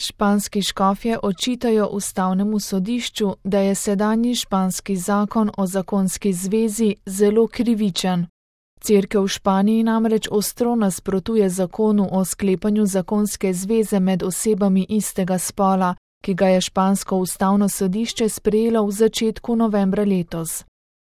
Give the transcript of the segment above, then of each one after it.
Španski škofje očitajo ustavnemu sodišču, da je sedanji španski zakon o zakonski zvezi zelo krivičen. Cerkev v Španiji namreč ostro nasprotuje zakonu o sklepanju zakonske zveze med osebami istega spola, ki ga je špansko ustavno sodišče sprejelo v začetku novembra letos.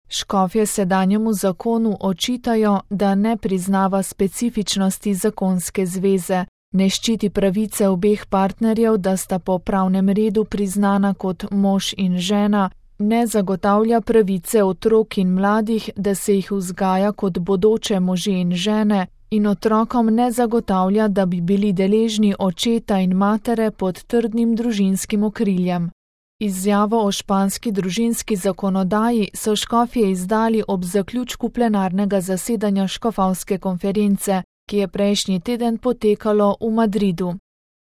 Škofje sedanjemu zakonu očitajo, da ne priznava specifičnosti zakonske zveze, ne ščiti pravice obeh partnerjev, da sta po pravnem redu priznana kot mož in žena, ne zagotavlja pravice otrok in mladih, da se jih vzgaja kot bodoče može in žene, in otrokom ne zagotavlja, da bi bili deležni očeta in matere pod trdnim družinskim okriljem. Izjavo o španski družinski zakonodaji so škofje izdali ob zaključku plenarnega zasedanja škofovske konference, ki je prejšnji teden potekalo v Madridu.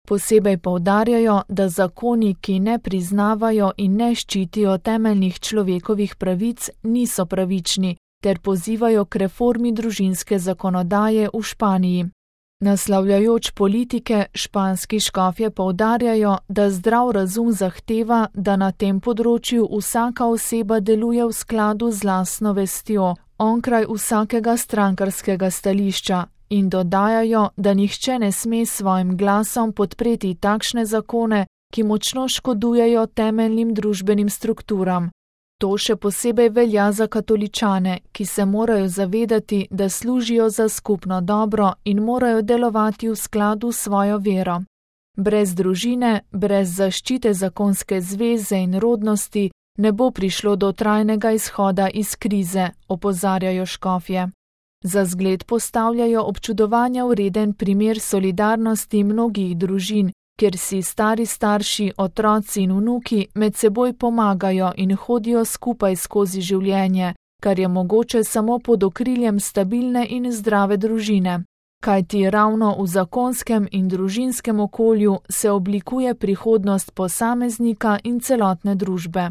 Posebej poudarjajo, da zakoni, ki ne priznavajo in ne ščitijo temeljnih človekovih pravic, niso pravični, ter pozivajo k reformi družinske zakonodaje v Španiji. Naslavljajoč politike, španski škofje poudarjajo, da zdrav razum zahteva, da na tem področju vsaka oseba deluje v skladu z lastno vestjo, onkraj vsakega strankarskega stališča, in dodajajo, da nihče ne sme s svojim glasom podpreti takšne zakone, ki močno škodujejo temeljnim družbenim strukturam. To še posebej velja za katoličane, ki se morajo zavedati, da služijo za skupno dobro in morajo delovati v skladu s svojo vero. Brez družine, brez zaščite zakonske zveze in rodnosti ne bo prišlo do trajnega izhoda iz krize, opozarjajo škofje. Za zgled postavljajo občudovanja vreden primer solidarnosti mnogih družin, kjer si stari starši, otroci in vnuki med seboj pomagajo in hodijo skupaj skozi življenje, kar je mogoče samo pod okriljem stabilne in zdrave družine. Kajti ravno v zakonskem in družinskem okolju se oblikuje prihodnost posameznika in celotne družbe.